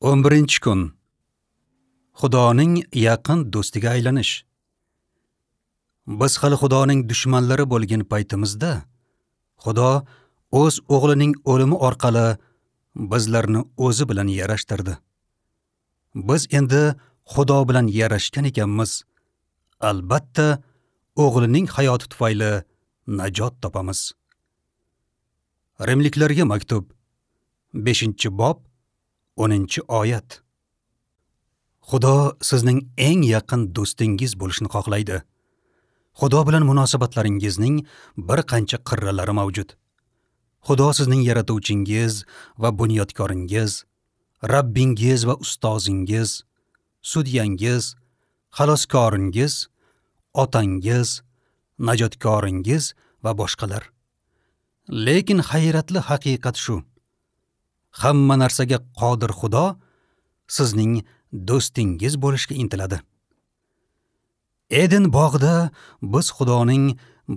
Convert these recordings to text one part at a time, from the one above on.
11-kun. Xudoning yaqin do'stiga aylanish. Biz hali Xudoning dushmanlari bo'lgan paytimizda Xudo o'z o'g'lining o'limi orqali bizlarni o'zi bilan yarashtirdi. Biz endi Xudo bilan yarashgan ekanmiz. Albatta, o'g'lining hayoti tufayli najot topamiz. Rimliklarga maktub 5-bob 10-oyat. Xudo sizning eng yaqin do'stingiz bo'lishni xohlaydi. Xudo bilan munosabatlaringizning bir qancha qirralari mavjud. Xudo sizning yaratuvchingiz va bunyodkoringiz, Rabbingiz va ustozingiz, sudyangiz, xaloskoringiz, otangiz, najotkoringiz va boshqalar. Lekin hayratli haqiqat shu: hamma narsaga qodir Xudo sizning do'stingiz bo'lishga intiladi. Eden bog'ida biz Xudoning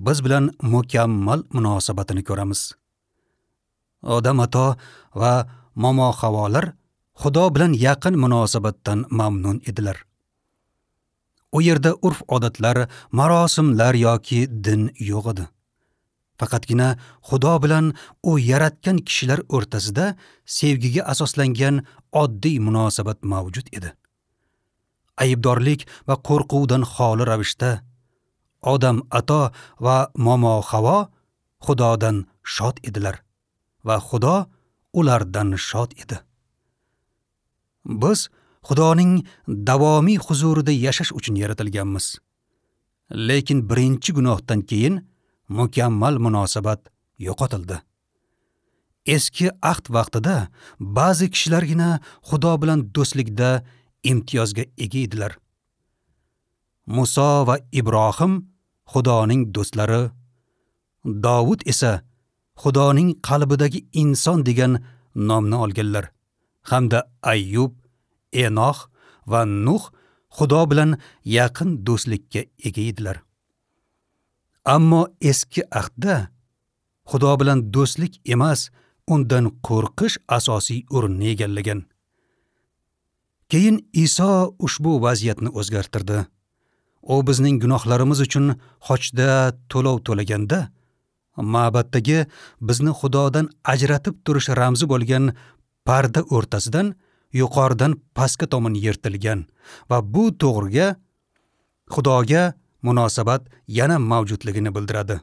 biz bilan mukammal munosabatini ko'ramiz. Odam ato va momo Havolar Xudo bilan yaqin munosabatdan mamnun edilar. U yerda urf-odatlar, marosimlar yoki din yo'q edi. Faqatgina Xudo bilan u yaratgan kishilar o'rtasida sevgiga asoslangan oddiy munosabat mavjud edi. Aybdorlik va qo'rquvdan xoli ravishda Odam ato va momo Havo Xudodan shod edilar va Xudo ulardan shod edi. Biz Xudoning davomiy huzurida yashash uchun yaratilganmiz. Lekin birinchi gunohdan keyin mukammal munosabat yo'qotildi. Eski ahd vaqtida ba'zi kishilargina Xudo bilan do'stlikda imtiyozga ega edilar. Muso va Ibrohim Xudoning do'stlari, Davud esa Xudoning qalbidagi inson degan nomni olganlar. Hamda Ayyub, Enoh va Nuh Xudo bilan yaqin do'stlikka ega edilar. Ammo eski ahdda Xudo bilan do'stlik emas, undan qo'rqish asosiy o'rinni egallagan. Keyin Iso ushbu vaziyatni o'zgartirdi. U bizning gunohlarimiz uchun xochda to'lov to'laganda, ma'baddagi bizni Xudodan ajratib turish ramzi bo'lgan parda o'rtasidan yuqoridan pastga tomon yirtilgan va bu to'g'riga Xudoga munosabat yana mavjudligini bildiradi.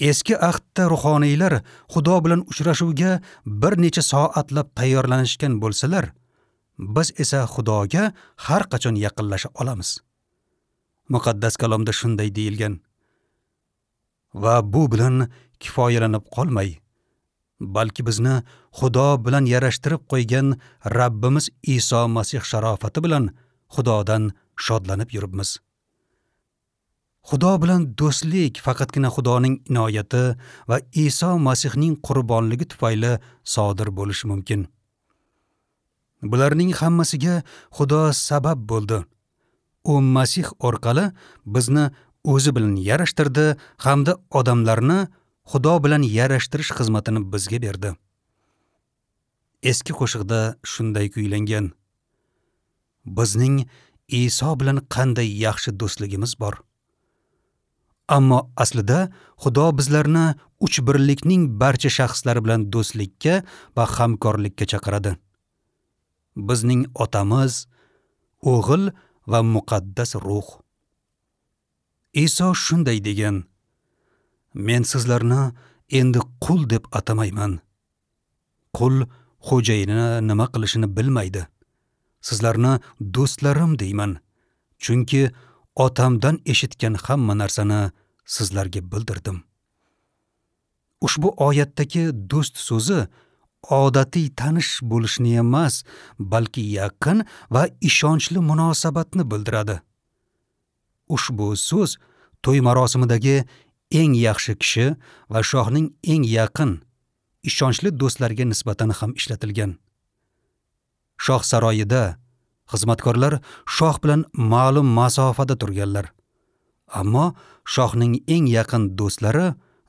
Eski ahdda ruhoniylar Xudo bilan uchrashuvga bir necha soatlab tayyorlanishgan bo'lsalar, biz esa Xudoga har qachon yaqinlasha olamiz. Muqaddas kalomda shunday deyilgan: va bu bilan kifoyalanib qolmay, balki bizni Xudo bilan yarashtirib qo'ygan Rabbimiz Iso Masih sharofati bilan Xudodan shodlanib yuribmiz. Xudo bilan do'stlik faqatgina Xudoning inoyati va Iso Masihning qurbonligi tufayli sodir bo'lishi mumkin. Bularning hammasiga Xudo sabab bo'ldi. U Masih orqali bizni o'zi bilan yarashtirdi hamda odamlarni Xudo bilan yarashtirish xizmatini bizga berdi. Eski qo'shiqda shunday kuylangan: bizning Iso bilan qanday yaxshi do'stligimiz bor. Ammo aslida Xudo bizlarni uch birlikning barcha shaxslari bilan do'stlikka va hamkorlikka chaqiradi. Bizning otamiz, o'g'il va muqaddas ruh. Iso shunday degan: men sizlarni endi qul deb atamayman. Qul xo'jayini nima qilishini bilmaydi. Sizlarni do'stlarim deyman, chunki otamdan eshitgan hamma narsani sizlarga bildirdim. Ushbu oyatdagi do'st so'zi odatiy tanish bo'lishni emas, balki yaqin va ishonchli munosabatni bildiradi. Ushbu so'z to'y marosimidagi eng yaxshi kishi va shohning eng yaqin, ishonchli do'stlariga nisbatan ham ishlatilgan. Shoh saroyida xizmatkorlar shoh bilan ma'lum masofada turganlar. Ammo shohning eng yaqin do'stlari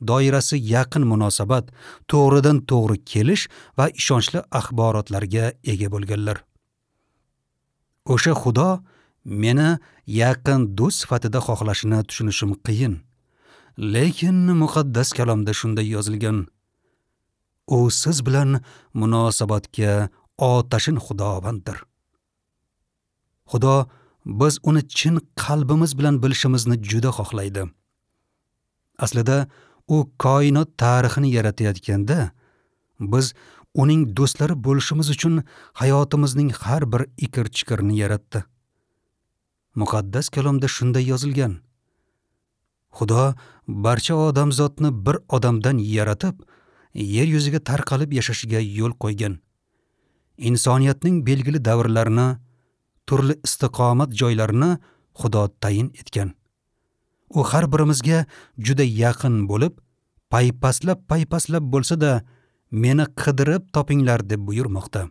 doirasi yaqin munosabat, to'g'ridan to'g'ri kelish va ishonchli axborotlarga ega bo'lganlar. O'sha Xudo meni yaqin do'st sifatida xohlashini tushunishim qiyin. Lekin muqaddas kalomda shunday yozilgan: U siz bilan munosabatga otashin Xudovanddir. Xudo biz uni chin qalbimiz bilan bilishimizni juda xohlaydi. Aslida u koinot tarixini yaratayotganda biz uning do'stlari bo'lishimiz uchun hayotimizning har bir ikir-chikirini yaratdi. Muqaddas kalomda shunday yozilgan: Xudo barcha odamzotni bir odamdan yaratib, yer yuziga tarqalib yashashiga yo'l qo'ygan. Insoniyatning belgili davrlarini, turli istiqomat joylarini Xudo tayin etgan. U har birimizga juda yaqin bo'lib, paypaslab bo'lsa-da, meni qidirib topinglar deb buyurmoqda.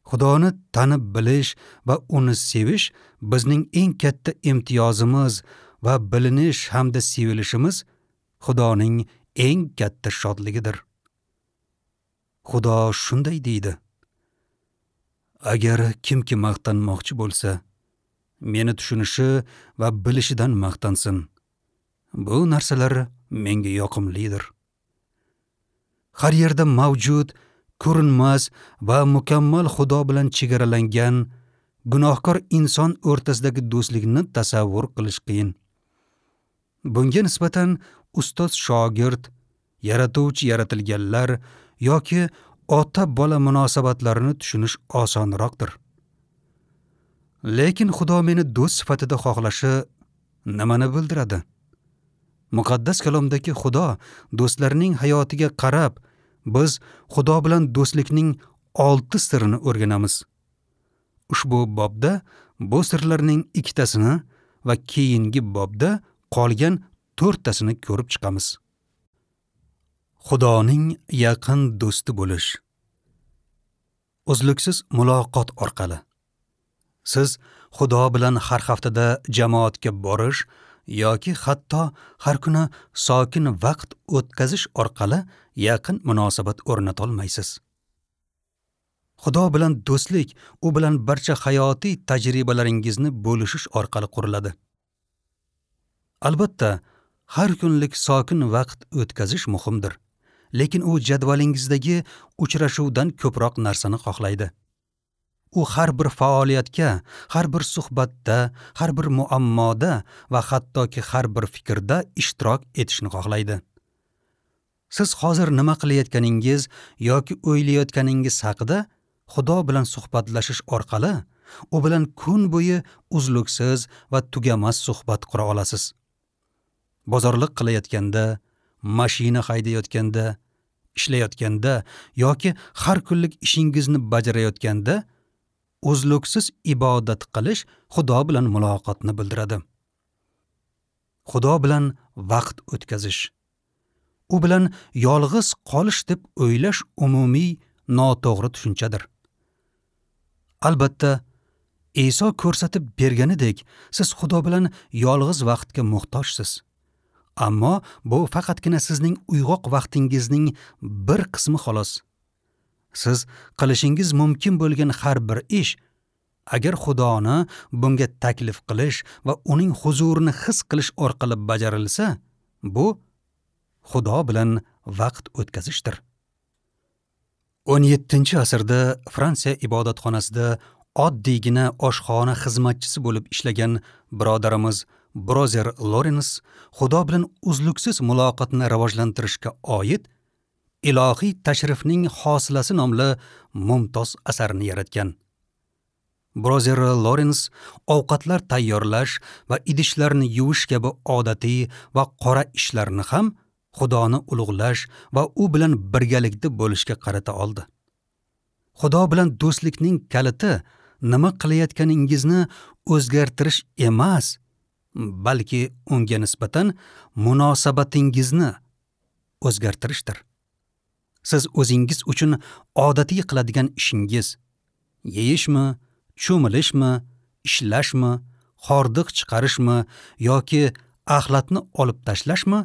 Xudoni tanib bilish va uni sevish bizning eng katta imtiyozimiz va bilinish hamda sevilishimiz Xudoning eng katta shodligidir. Xudo shunday deydi: Agar kimki maqtanmoqchi bo'lsa, meni tushunishi va bilishidan maqtansin. Bu narsalar menga yoqimlidir. Har yerda mavjud, ko'rinmas va mukammal Xudo bilan chegaralangan gunohkor inson o'rtasidagi do'stlikni tasavvur qilish qiyin. Bunga nisbatan ustoz shogird, yaratuvchi yaratilganlar yoki ota-bola munosabatlarini tushunish osonroqdir. Lekin Xudo meni do'st sifatida xohlashi nimani bildiradi? Muqaddas kalomdagi Xudo do'stlarning hayotiga qarab, biz Xudo bilan do'stlikning 6 sirini o'rganamiz. Ushbu bobda bu sirlarning 2tasini va keyingi bobda qolgan 4tasini ko'rib chiqamiz. Xudoning yaqin do'sti bo'lish. Uzluksiz muloqot orqali. Siz Xudo bilan har haftada jamoatga borish yoki hatto har kuni sokin vaqt o'tkazish orqali yaqin munosabat o'rnata olmaysiz. Xudo bilan do'stlik u bilan barcha hayotiy tajribalaringizni bo'lishish orqali quriladi. Albatta, har kunlik sokin vaqt o'tkazish muhimdir, lekin u jadvalingizdagi uchrashuvdan ko'proq narsani xohlaydi. U har bir faoliyatga, har bir suhbatda, har bir muammoda va hattoki har bir fikrda ishtirok etishni xohlaydi. Siz hozir nima qilayotganingiz yoki o'ylayotganingiz haqida Xudo bilan suhbatlashish orqali u bilan kun bo'yi uzluksiz va tugamas suhbat qura olasiz. Bozorlik qilayotganda, mashina haydayotganda, ishlayotganda yoki har kunlik ishingizni bajarayotganda uzluksiz ibodat qilish Xudo bilan muloqotni bildiradi. Xudo bilan vaqt o'tkazish, u bilan yolg'iz qolish deb o'ylash umumiy noto'g'ri tushunchadir. Albatta, Iso ko'rsatib berganidek, siz Xudo bilan yolg'iz vaqtga muhtojsiz. Ammo bu faqatgina sizning uyg'oq vaqtingizning bir qismi xolos. Siz qilishingiz mumkin bo'lgan har bir ish, agar Xudoni bunga taklif qilish va uning huzurini his qilish orqali bajarilsa, bu Xudo bilan vaqt o'tkazishdir. 17-asrda Fransiya ibodatxonasida oddiygina oshxona xizmatchisi bo'lib ishlagan birodarimiz Brozer Lorens Xudo bilan uzluksiz muloqotni rivojlantirishga oid Ilohiy tashrifning hosilasi nomli mumtoz asarini yaratgan. Brozer Lorens ovqatlar tayyorlash va idishlarni yuvish kabi odatiy va qora ishlarni ham Xudoni ulug'lash va u bilan birgalikda bo'lishga qarata oldi. Xudo bilan do'stlikning kaliti nima qilayotganingizni o'zgartirish emas, balki unga nisbatan munosabatingizni o'zgartirishdir. Siz o'zingiz uchun odatiy qiladigan ishingiz, yeyishmi, cho'milishmi, ishlashmi, hordiq chiqarishmi yoki axlatni olib tashlashmi,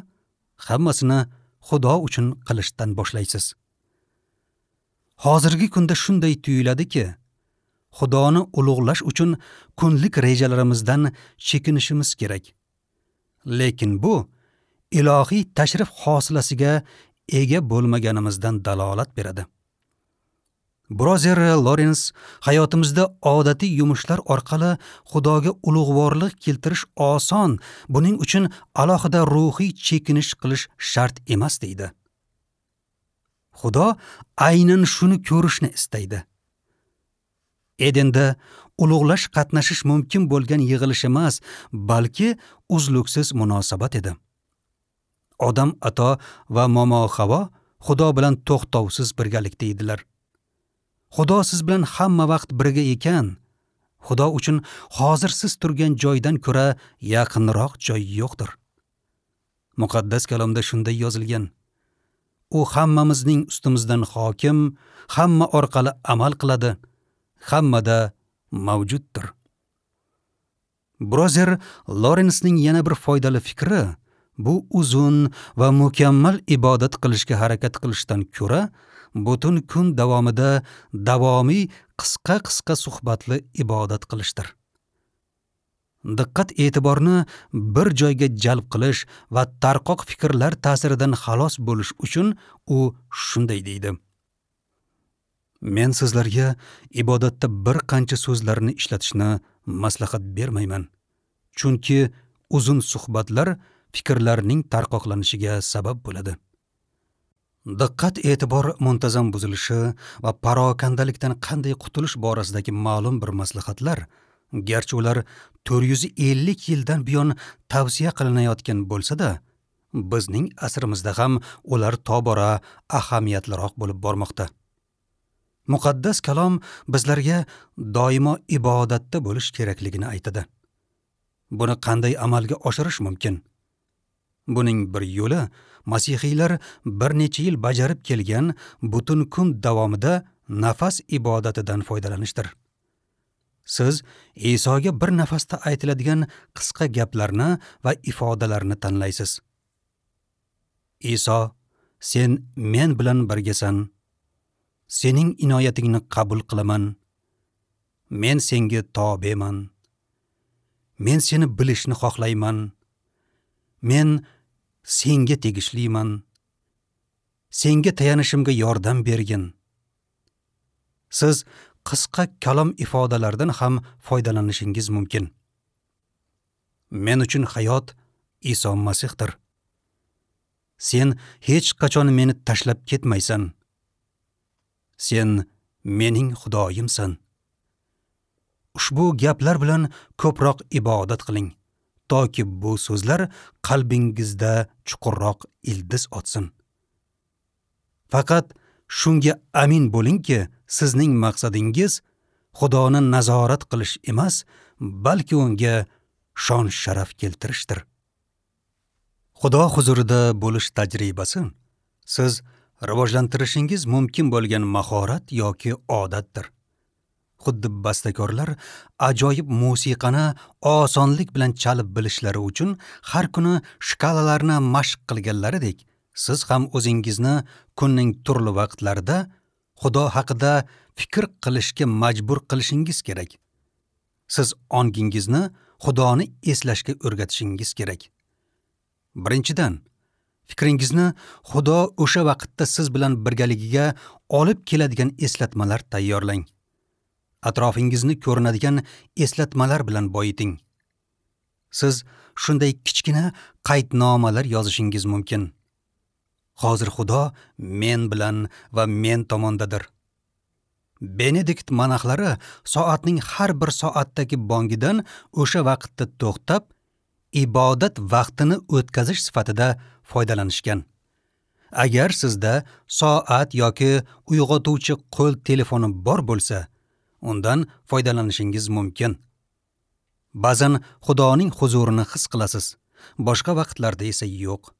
Hammasini Xudo uchun qilishdan boshlaysiz. Hozirgi kunda shunday tuyuladiki, Xudoni ulug'lash uchun kunlik rejalarimizdan chekinishimiz kerak. Lekin bu ilohiy tashrif hosilasiga ega bo'lmaganimizdan dalolat beradi. Brozer Lorens hayotimizda odatiy yumushlar orqali Xudoga ulug'vorlik keltirish oson, buning uchun alohida ruhiy chekinish qilish shart emas deydi. Xudo aynan shuni ko'rishni istaydi. Edenda ulug'lash qatnashish mumkin bo'lgan yig'ilish emas, balki uzluksiz munosabat edi. Odam ato va momo Havo Xudo bilan to'xtovsiz birgalikda edilar. Xudo siz bilan hamma vaqt birga ekan, Xudo uchun hozir siz turgan joydan ko'ra yaqinroq joy yo'qdir. Muqaddas kalomda shunday yozilgan: U hammamizning ustimizdan hokim, hamma orqali amal qiladi, hammada mavjuddir. Brozer Lorensning yana bir foydali fikri bu uzun va mukammal ibodat qilishga harakat qilishdan ko'ra butun kun davomida davomiy qisqa-qisqa suhbatli ibodat qilishdir. Diqqat e'tiborni bir joyga jalb qilish va tarqoq fikrlar ta'siridan xalos bo'lish uchun u shunday deydi: Men sizlarga ibodatda bir qancha so'zlarni ishlatishni maslahat bermayman, chunki uzun suhbatlar fikrlarning tarqoqlanishiga sabab bo'ladi. Diqqat e'tibor muntazam buzilishi va parokandalikdan qanday qutulish borasidagi ma'lum bir maslahatlar, garchi ular 450 yildan buyon tavsiya qilinayotgan bo'lsa-da, bizning asrimizda ham ular tobora ahamiyatliroq bo'lib bormoqda. Muqaddas kalom bizlarga doimo ibodatda bo'lish kerakligini aytadi. Buni qanday amalga oshirish mumkin? Buning bir yo'li masihiylar bir necha yil bajarib kelgan butun kun davomida nafas ibodatidan foydalanishdir. Siz Isoga bir nafasda aytiladigan qisqa gaplarni va ifodalarni tanlaysiz. Iso, sen men bilan birgasan. Sening inoyatingni qabul qilaman. Men senga tobeman. Men seni bilishni xohlayman. Men senga tegishliman. Senga tayanishimga yordam bergin. Siz qisqa kalom ifodalardan ham foydalanishingiz mumkin. Men uchun hayot Iso Masihdir. Sen hech qachon meni tashlab ketmaysan. Sen mening Xudoyimsan. Ushbu gaplar bilan ko'proq ibodat qiling, toki bu so'zlar qalbingizda chuqurroq ildiz otsin. Faqat shunga amin bo'lingki, sizning maqsadingiz Xudoni nazorat qilish emas, balki unga shon sharaf keltirishdir. Xudo huzurida bo'lish tajribasi siz rivojlantirishingiz mumkin bo'lgan mahorat yoki odatdir. Xuddi bastakorlar ajoyib musiqani osonlik bilan chalib bilishlari uchun har kuni shkalalarni mashq qilganlaridek, siz ham o'zingizni kunning turli vaqtlarida Xudo haqida fikr qilishga majbur qilishingiz kerak. Siz ongingizni Xudoni eslashga o'rgatishingiz kerak. Birinchidan, fikringizni Xudo o'sha vaqtda siz bilan birgaligiga olib keladigan eslatmalar tayyorlang. Atrofingizni ko'rinadigan eslatmalar bilan boyiting. Siz shunday kichkina qaydnomalar yozishingiz mumkin. Hozir Xudo men bilan va men tomondadir. Benedikt monaxlari soatning har bir soatdagi bongidan o'sha vaqtda to'xtab, ibodat vaqtini o'tkazish sifatida foydalanishgan. Agar sizda soat yoki uyg'otuvchi qo'l telefoni bor bo'lsa, undan foydalanishingiz mumkin. Ba'zan Xudoning huzurini his qilasiz, boshqa vaqtlarda esa yo'q.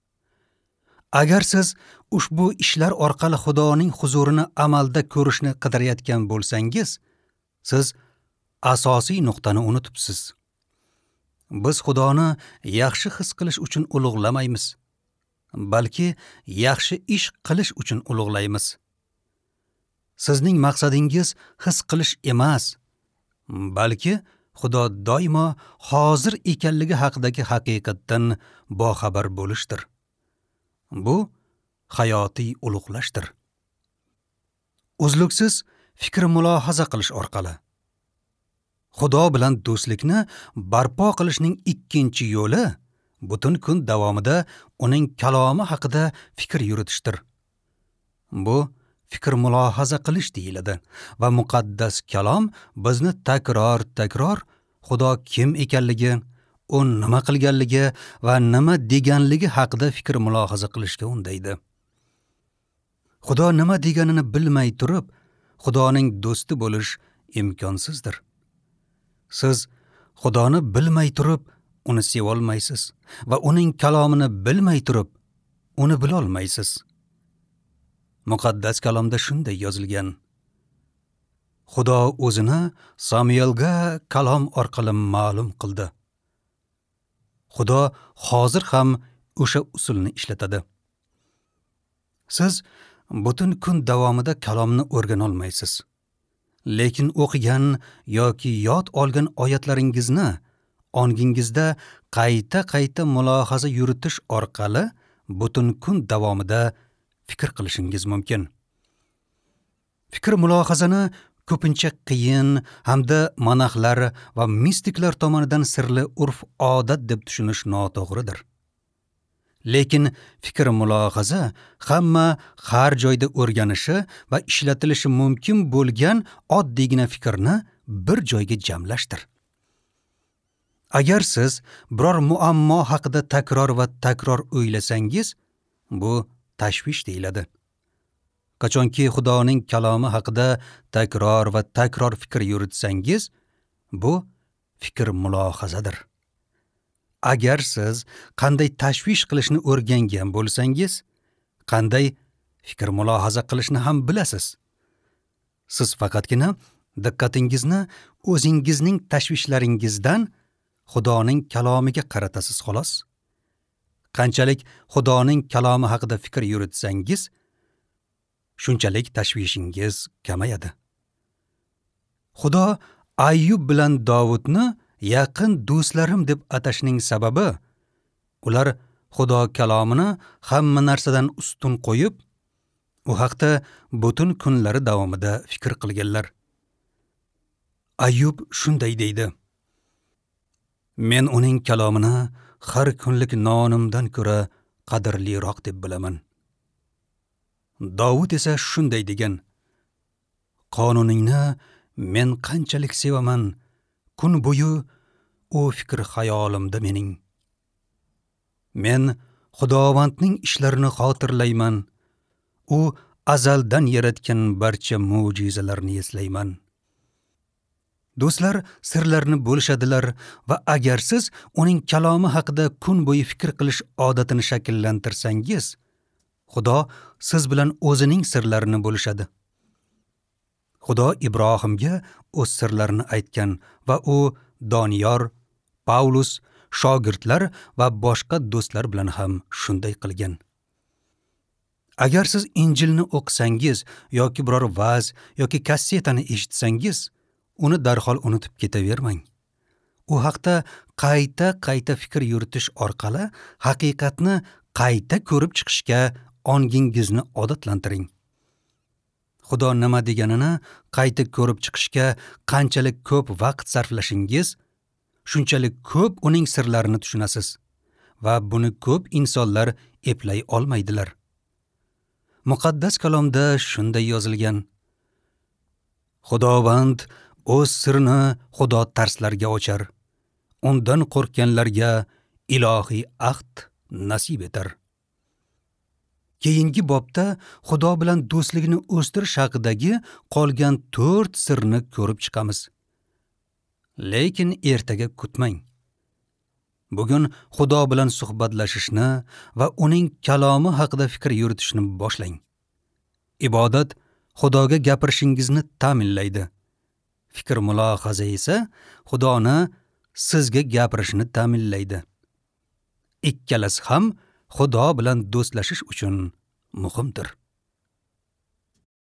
Agar siz ushbu ishlar orqali Xudoning huzurini amalda ko'rishni qidirayotgan bo'lsangiz, siz asosiy nuqtani unutibsiz. Biz Xudoni yaxshi his qilish uchun ulug'lamaymiz. balki yaxshi ish qilish uchun ulug'laymiz. Sizning maqsadingiz his qilish emas, balki Xudo doimo hozir ekanligi haqidagi haqiqatdan boxabar bo'lishdir. Bu hayotiy ulug'lashdir. Uzluksiz fikr mulohaza qilish orqali Xudo bilan do'stlikni barpo qilishning ikkinchi yo'li butun kun davomida uning kalomi haqida fikr yuritishdir. Bu fikr mulohaza qilish deyiladi va muqaddas kalom bizni takror-takror Xudo kim ekanligi, u nima qilganligi va nima deganligi haqida fikr mulohaza qilishga undaydi. Xudo nima deganini bilmay turib, Xudoning do'sti bo'lish imkonsizdir. Siz Xudoni bilmay turib, uni seva olmaysiz va uning kalomini bilmay turib, uni bila olmaysiz. Muqaddas kalomda shunday yozilgan: Xudo o'zini Samuelga kalom orqali ma'lum qildi. Xudo hozir ham o'sha usulni ishlatadi. Siz butun kun davomida kalomni o'rgana olmaysiz. Lekin o'qigan yoki yod olgan oyatlaringizni ongingizda qayta-qayta mulohaza yuritish orqali butun kun davomida fikr qilishingiz mumkin. Fikr mulohazani ko'pincha qiyin hamda monaxlar va mistiklar tomonidan sirli urf-odat deb tushunish noto'g'ridir. Lekin fikr mulohaza hamma har joyda o'rganishi va ishlatilishi mumkin bo'lgan oddiygina fikrni bir joyga jamlashdir. Agar siz biror muammo haqida takror va takror o'ylasangiz, bu tashvish deyiladi. Qachonki Xudoning kalomi haqida takror va takror fikr yuritsangiz, bu fikr mulohazadir. Agar siz qanday tashvish qilishni o'rgangan bo'lsangiz, qanday fikr mulohaza qilishni ham bilasiz. Siz faqatgina diqqatingizni o'zingizning tashvishlaringizdan Xudoning kalomiga qaratasiz xolos. Qanchalik Xudoning kalomi haqida fikr yuritsangiz, shunchalik tashvishingiz kamayadi. Xudo Ayyub bilan Dovudni yaqin do'stlarim deb atashning sababi, ular Xudo kalomini hamma narsadan ustun qo'yib, u haqda butun kunlari davomida fikr qilganlar. Ayyub shunday deydi: Men uning kalomini har kunlik nonimdan ko'ra qadrliroq deb bilaman. Dovud esa shunday degan: Qonuningni men qanchalik sevaman, kun bo'yi u fikr xayolimda mening. Men Xudovandning ishlarini xotirlayman, u azaldan yaratgan barcha mo'jizalarni eslayman. Do'stlar sirlarni bo'lishadilar va agar siz uning kalomi haqida kun bo'yi fikr qilish odatini shakllantirsangiz, Xudo siz bilan o'zining sirlarini bo'lishadi. Xudo Ibrohimga o'z sirlarini aytgan va u Doniyor, Paulus, shogirdlar va boshqa do'stlar bilan ham shunday qilgan. Agar siz Injilni o'qisangiz yoki biror va'z yoki kassetani eshitsangiz, uni darhol unutib ketavermang. U haqda qayta-qayta fikr yuritish orqali haqiqatni qayta ko'rib chiqishga ongingizni odatlantiring. Xudo nima deganini qayta ko'rib chiqishga qanchalik ko'p vaqt sarflashingiz, shunchalik ko'p uning sirlarini tushunasiz va buni ko'p insonlar eplay olmaydilar. Muqaddas kalomda shunday yozilgan: Xudovand o'z sirini Xudo tarslarga ochar, undan qo'rqganlarga ilohiy ahd nasib etar. Keyingi bobda Xudo bilan do'stlikni o'stirish haqidagi qolgan 4 sirni ko'rib chiqamiz. Lekin ertaga kutmang. Bugun Xudo bilan suhbatlashishni va uning kalomi haqida fikr yuritishni boshlang. Ibodat Xudoga gapirishingizni ta'minlaydi. Fikr mulohaza esa Xudoni sizga gapirishini ta'minlaydi. Ikkalasi ham Xudo bilan do'stlashish uchun muhimdir.